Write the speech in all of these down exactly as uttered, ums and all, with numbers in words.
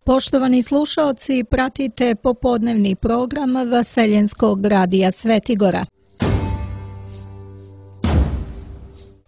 Poštovani slušaoci, pratite popodnevni program Vaseljenskog radija Svetigora.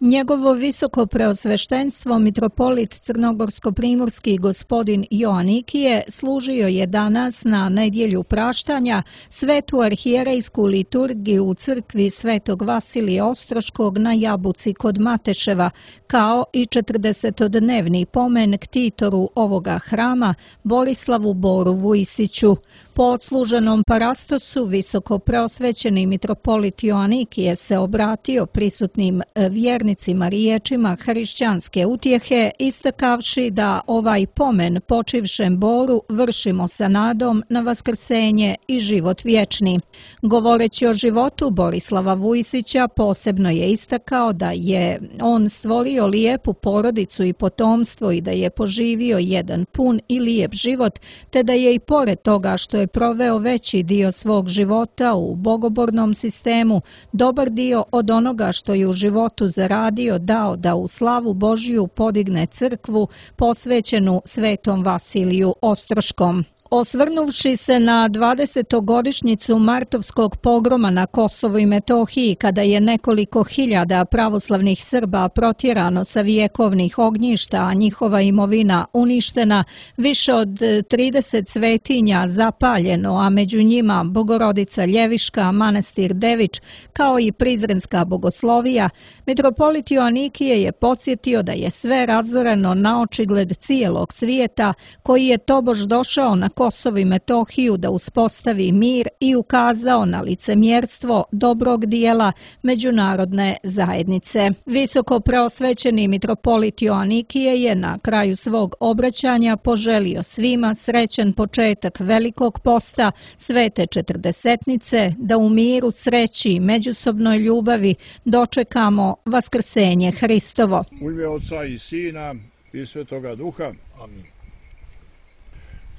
Njegovo visoko preosveštenstvo mitropolit crnogorsko-primorski gospodin Joanikije služio je danas na nedjelju praštanja svetu arhijerejsku liturgiju u crkvi Svetog Vasilija Ostroškog na Jabuci kod Mateševa, kao i četrdesetodnevni pomen ktitoru ovoga hrama Borislavu Boru Vujisiću. Po odsluženom parastosu visoko preosvećeni mitropolit Joanikije se obratio prisutnim vjernicima riječima hrišćanske utjehe, istakavši da ovaj pomen počivšem Boru vršimo sa nadom na vaskrsenje i život vječni. Govoreći o životu Borislava Vujisića, posebno je istakao da je on stvorio lijepu porodicu i potomstvo i da je poživio jedan pun i lijep život, te da je i pored toga što je proveo veći dio svog života u bogobornom sistemu, dobar dio od onoga što je u životu zaradio dao da u slavu Božju podigne crkvu posvećenu Svetom Vasiliju Ostroškom. Osvrnuvši se na dvadesetogodišnjicu martovskog pogroma na Kosovu i Metohiji, kada je nekoliko hiljada pravoslavnih Srba protjerano sa vjekovnih ognjišta, a njihova imovina uništena, više od trideset svetinja zapaljeno, a među njima Bogorodica Ljeviška, manastir Dević, kao i Prizrenska bogoslovija, mitropolit Joanikije je podsjetio da je sve razoreno na očigled cijelog svijeta, koji je tobož došao na Kosovo i Metohiju da uspostavi mir i ukazao na licemjerstvo dobrog dijela međunarodne zajednice. Visoko preosvećeni mitropolit Joanikije je na kraju svog obraćanja poželio svima srećan početak Velikog posta Svete Četrdesetnice, da u miru, sreći i međusobnoj ljubavi dočekamo vaskrsenje Hristovo. U ime Oca i Sina i Svetoga Duha. Amin.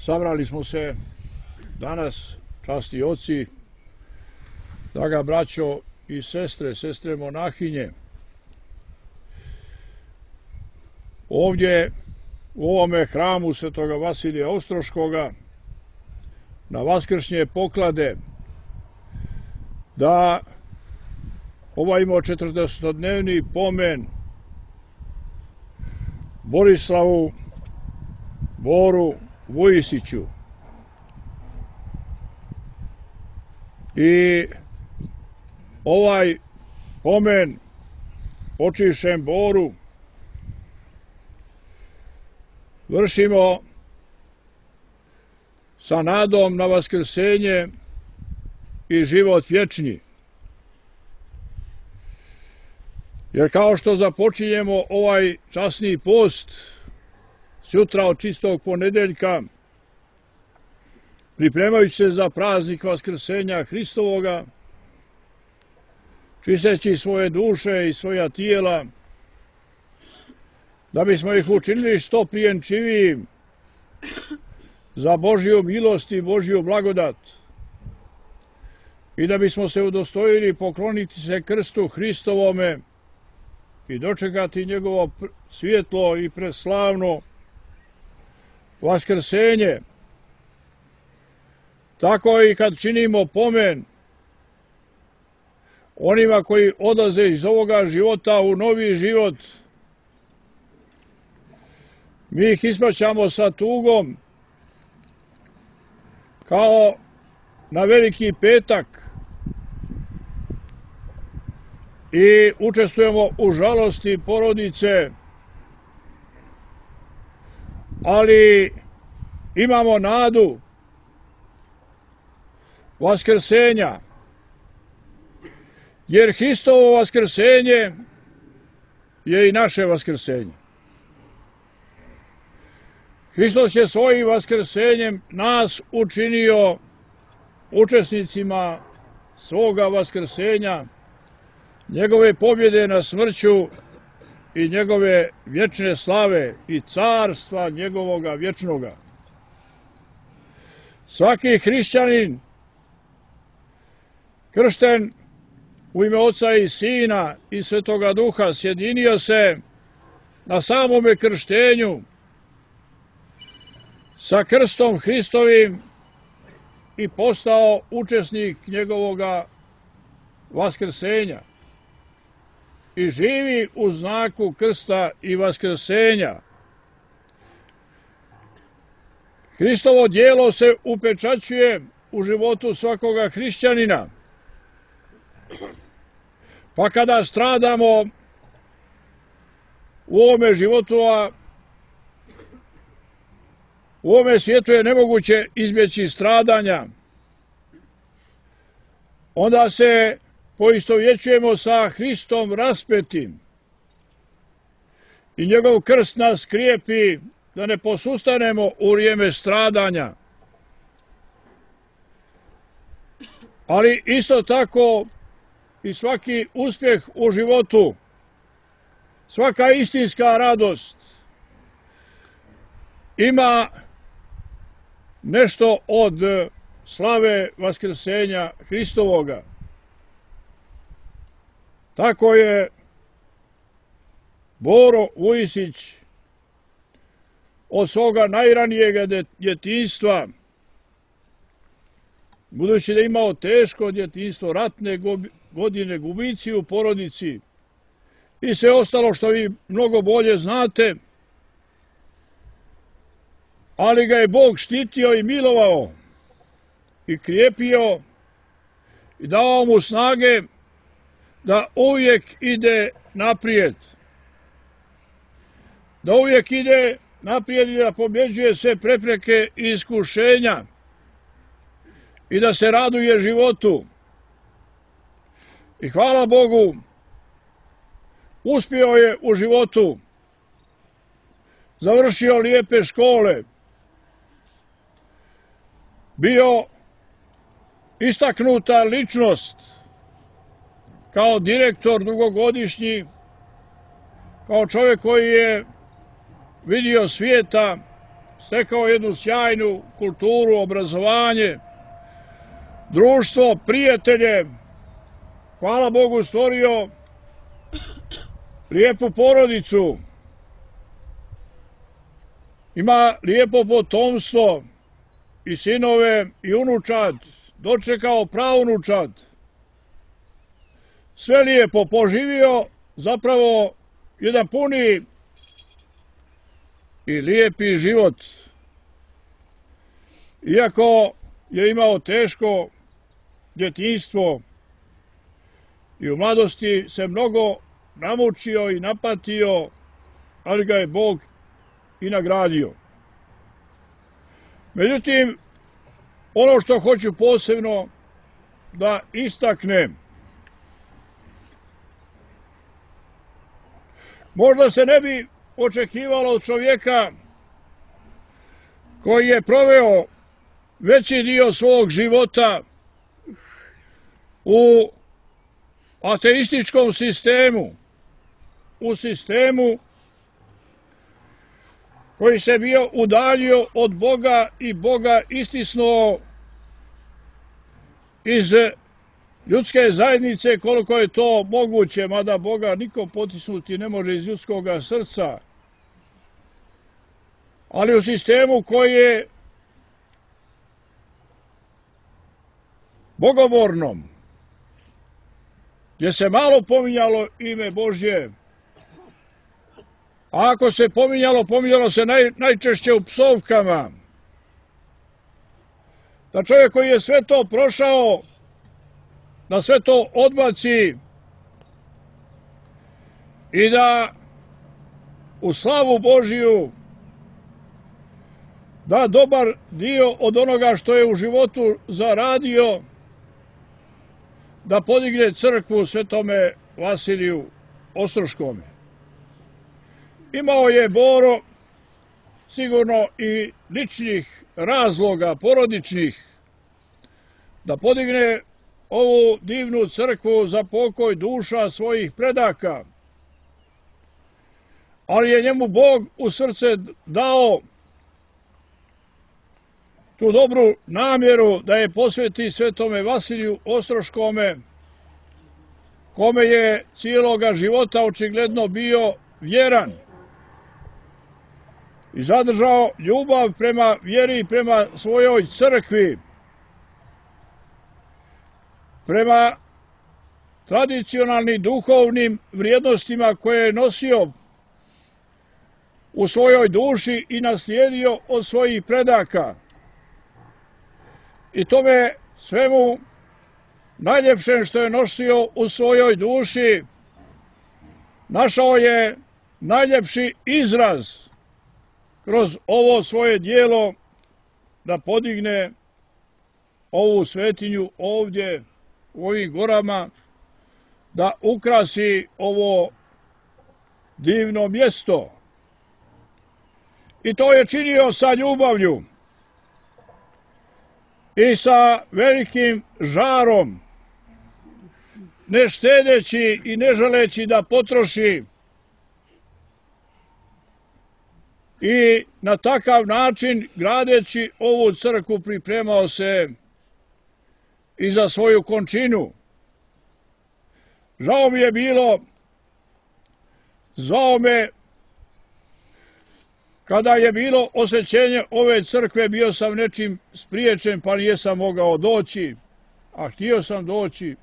Sabrali smo se danas, časti oci, draga braćo i sestre, sestre monahinje, ovdje u ovome hramu Svetoga Vasilija Ostroškoga na vaskršnje poklade, da obavimo četrdesetodnevni pomen Borislavu Boru Vujisiću i ovaj pomen počivšem Boru vršimo sa nadom na vaskrsenje i život vječni. Jer kao što započinjemo ovaj časni post sutra od čistog ponedeljka, pripremajući se za praznik vaskrsenja Hristovoga, čisteći svoje duše i svoja tijela, da bismo ih učinili što prijenčivijim za Božju milost i Božju blagodat i da bismo se udostojili pokloniti se krstu Hristovome i dočekati njegovo svjetlo i preslavno vaskrsenje. Tako i kad činimo pomen onima koji odlaze iz ovoga života u novi život, mi ih ispraćamo sa tugom kao na Veliki petak i učestvujemo u žalosti porodice, ali imamo nadu vaskrsenja, jer Hristovo vaskrsenje je i naše vaskrsenje. Hristos je svojim vaskrsenjem nas učinio učesnicima svoga vaskrsenja, njegove pobjede na smrću i njegove vječne slave i carstva njegovoga vječnoga. Svaki hrišćanin kršten u ime Oca i Sina i Svetoga Duha sjedinio se na samome krštenju sa krstom Hristovim i postao učesnik njegovoga vaskrsenja i živi u znaku krsta i vaskrsenja. Hristovo djelo se upečaćuje u životu svakoga hrišćanina. Pa kada stradamo u ovome životu, a u ovome svijetu je nemoguće izbjeći stradanja, onda se poistovjećujemo sa Hristom raspetim i njegov krst nas krijepi da ne posustanemo u vrijeme stradanja. Ali isto tako i svaki uspjeh u životu, svaka istinska radost ima nešto od slave vaskrsenja Hristovoga. Tako je Boro Vujisić od svoga najranijega djetinjstva, budući da je imao teško djetinjstvo, ratne godine, gubici u porodici i sve ostalo što vi mnogo bolje znate, ali ga je Bog štitio i milovao i krijepio i dao mu snage da uvijek ide naprijed. Da uvijek ide naprijed i da pobjeđuje sve prepreke i iskušenja i da se raduje životu. I hvala Bogu, uspio je u životu, završio lijepe škole, bio istaknuta ličnost kao direktor dugogodišnji, kao čovjek koji je vidio svijeta, stekao jednu sjajnu kulturu, obrazovanje, društvo, prijatelje, hvala Bogu stvorio lijepu porodicu, ima lijepo potomstvo i sinove i unučad, dočekao praunučad. Sve lijepo poživio, zapravo jedan puni i lijepi život. Iako je imao teško djetinjstvo i u mladosti se mnogo namučio i napatio, ali ga je Bog i nagradio. Međutim, ono što hoću posebno da istaknem, možda se ne bi očekivalo od čovjeka koji je proveo veći dio svog života u ateističkom sistemu, u sistemu koji se bio udaljio od Boga i Boga istisnuo iz ljudske zajednice koliko je to moguće, mada Boga niko potisnuti ne može iz ljudskoga srca, ali u sistemu koji je bogobornom, gdje se malo pominjalo ime Božje, a ako se pominjalo, pominjalo se naj, najčešće u psovkama, da čovjek koji je sve to prošao, da sve to odbaci i da u slavu Božiju da dobar dio od onoga što je u životu zaradio, da podigne crkvu Svetome Vasiliju Ostroškome. Imao je Boro sigurno i ličnih razloga, porodičnih, da podigne ovu divnu crkvu za pokoj duša svojih predaka. Ali je njemu Bog u srce dao tu dobru namjeru da je posveti Svetome Vasiliju Ostroškome, kome je cijeloga života očigledno bio vjeran. i zadržao ljubav prema vjeri i prema svojoj crkvi, prema tradicionalnim duhovnim vrijednostima koje je nosio u svojoj duši i naslijedio od svojih predaka. I tome svemu najljepšem što je nosio u svojoj duši našao je najljepši izraz kroz ovo svoje dijelo da podigne ovu svetinju ovdje u ovim gorama, da ukrasi ovo divno mjesto. I to je činio sa ljubavlju i sa velikim žarom, ne štedeći i ne želeći da potroši. I na takav način, gradeći ovu crkvu, pripremao se i za svoju končinu. Žao mi je bilo, zvao me, kada je bilo osvećenje ove crkve, bio sam nečim spriječen pa nijesam mogao doći, a htio sam doći.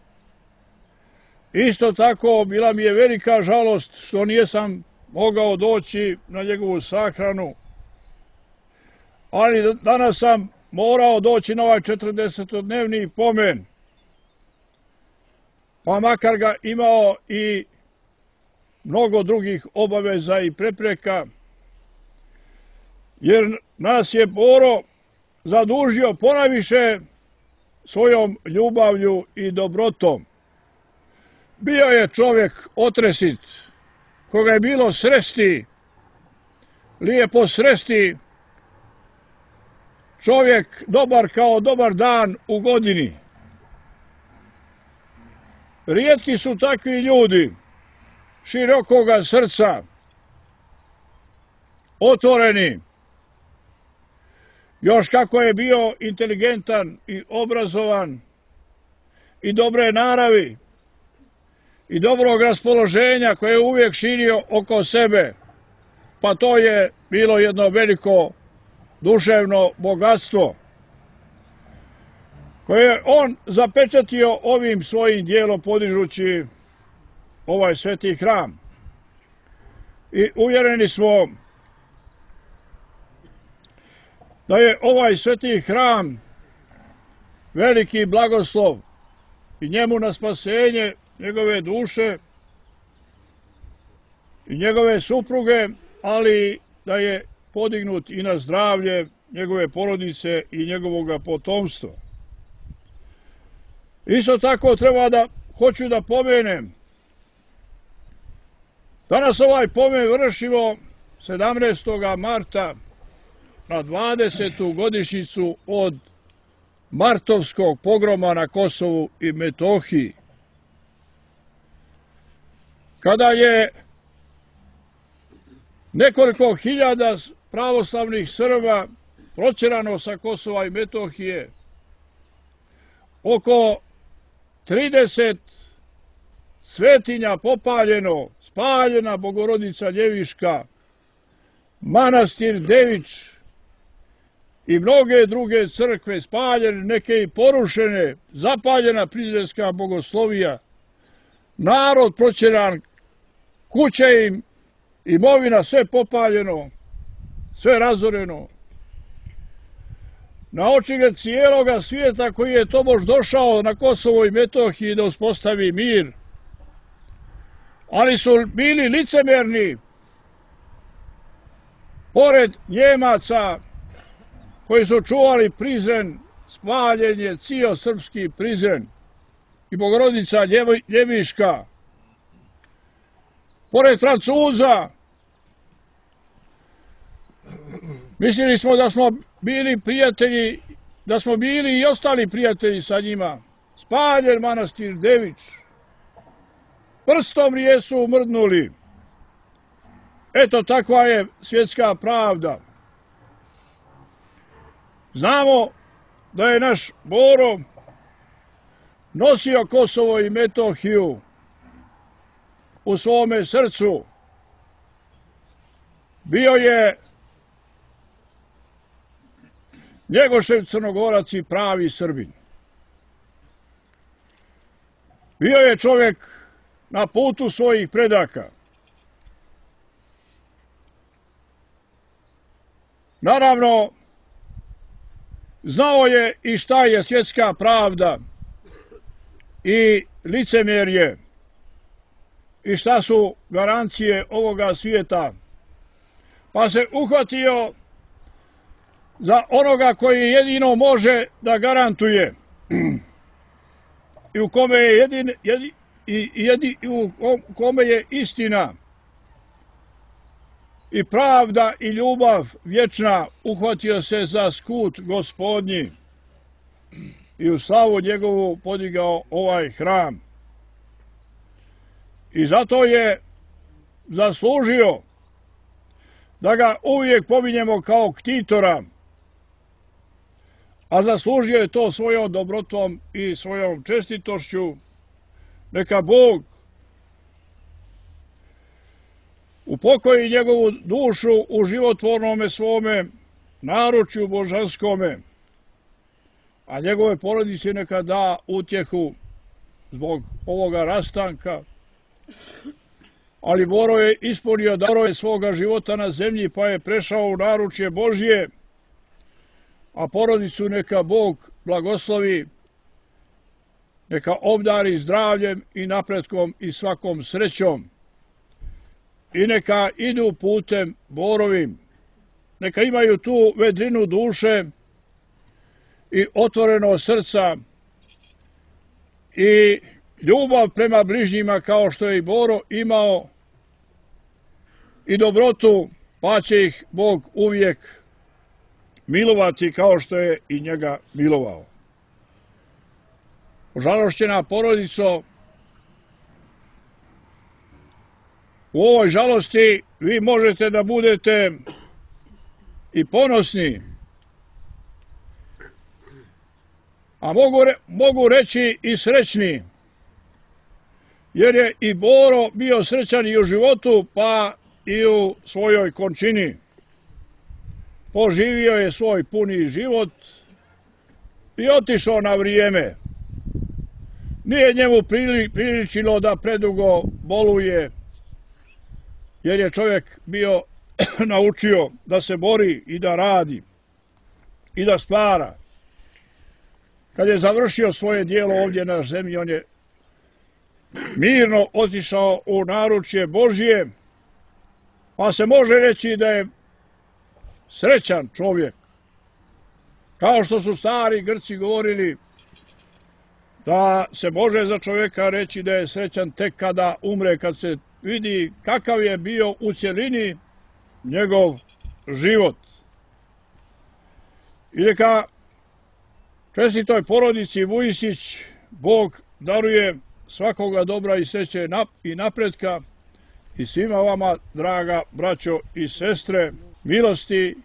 Isto tako, bila mi je velika žalost što nijesam mogao doći na njegovu sahranu, ali danas sam morao doći na ovaj četrdesetodnevni pomen, pa makar ga imao i mnogo drugih obaveza i prepreka, jer nas je Boro zadužio ponajviše svojom ljubavlju i dobrotom. Bio je čovjek otresit, koga je bilo sresti, lijepo sresti, čovjek dobar kao dobar dan u godini. Rijetki su takvi ljudi, širokoga srca, otvoreni. Još kako je bio inteligentan i obrazovan i dobre naravi i dobrog raspoloženja koje je uvijek širio oko sebe, pa to je bilo jedno veliko duševno bogatstvo koje je on zapečatio ovim svojim dijelom podižući ovaj sveti hram. I uvjereni smo da je ovaj sveti hram veliki blagoslov i njemu na spasenje njegove duše i njegove supruge, ali da je podignut i na zdravlje njegove porodice i njegovog potomstva. Isto tako treba da, hoću da pomenem, danas ovaj pomen vršimo sedamnaestog marta na dvadesetu godišnjicu od martovskog pogroma na Kosovu i Metohiji, kada je nekoliko hiljada pravoslavnih Srba protjerano sa Kosova i Metohije, oko trideset svetinja popaljeno, spaljena Bogorodica Ljeviška, manastir Devič i mnoge druge crkve spaljene, neke i porušene, zapaljena prizrenska bogoslovija, narod protjeran, kuće im, imovina, sve popaljeno, sve razoreno. Na očigled cijeloga svijeta koji je tobož došao na Kosovo i Metohiji da uspostavi mir, ali su bili licemerni, pored Njemaca koji su čuvali Prizren, spaljen je cijel srpski Prizren i Bogorodica Ljeviška. Pored Francuza, mislili smo da smo bili prijatelji, da smo bili i ostali prijatelji sa njima. Spaljen manastir Devič. Prstom nijesu mrdnuli. Eto, takva je svjetska pravda. Znamo da je naš Boro nosio Kosovo i Metohiju u svome srcu. Bio je Njegošev Crnogorac i pravi Srbin. Bio je čovjek na putu svojih predaka. Naravno, znao je i šta je svjetska pravda i licemjerje i šta su garancije ovoga svijeta. Pa se uhvatio za onoga koji jedino može da garantuje i u kome je, jedin, jedin, i, jedin, i u kome je istina i pravda i ljubav vječna. Uhvatio se za skut Gospodnji i u slavu njegovu podigao ovaj hram. I zato je zaslužio da ga uvijek pominjemo kao ktitora, a zaslužio je to svojom dobrotom i svojom čestitošću. Neka Bog upokoji njegovu dušu u životvornome svome naručju božanskome, a njegove porodici neka da utjehu zbog ovoga rastanka. Ali Boro je ispunio darove svoga života na zemlji, pa je prešao u naručje Božje, a porodicu neka Bog blagoslovi, neka obdari zdravljem i napretkom i svakom srećom. I neka idu putem Borovim, neka imaju tu vedrinu duše i otvoreno srca i ljubav prema bližnjima kao što je i Boro imao i dobrotu, pa će ih Bog uvijek milovati kao što je i njega milovao. Žalošćena porodico, u ovoj žalosti vi možete da budete i ponosni, a mogu, re, mogu reći i srećni, jer je i Boro bio srećan i u životu, pa i u svojoj končini. Poživio je svoj puni život i otišao na vrijeme. Nije njemu priličilo da predugo boluje, jer je čovjek bio naučio da se bori i da radi i da stvara. Kad je završio svoje dijelo ovdje na zemlji, on je mirno otišao u naručje Božje, pa se može reći da je srećan čovjek. Kao što su stari Grci govorili da se može za čovjeka reći da je srećan tek kada umre, kad se vidi kakav je bio u cjelini njegov život. I neka čestitoj porodici Vujisić Bog daruje svakoga dobra i sreće i napretka i svima vama, draga braćo i sestre, milosti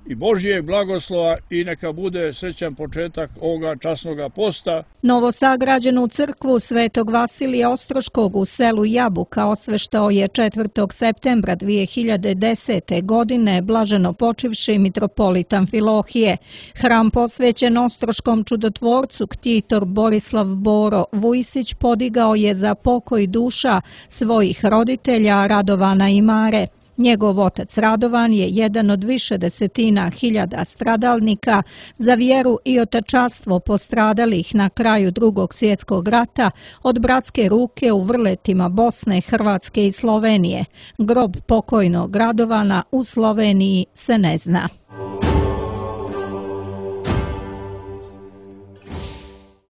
i Božijeg blagoslova i neka bude srećan početak ovoga časnoga posta. Novosagrađenu crkvu Svetog Vasilija Ostroškog u selu Jabuka osveštao je četvrtog septembra dvije hiljade desete. godine blaženo počivši mitropolit Amfilohije. Hram posvećen Ostroškom čudotvorcu ktitor Borislav Boro Vujisić podigao je za pokoj duša svojih roditelja Radovana i Mare. Njegov otac Radovan je jedan od više desetina hiljada stradalnika za vjeru i otačanstvo postradalih na kraju Drugog svjetskog rata od bratske ruke u vrletima Bosne, Hrvatske i Slovenije. Grob pokojnog Radovana u Sloveniji se ne zna.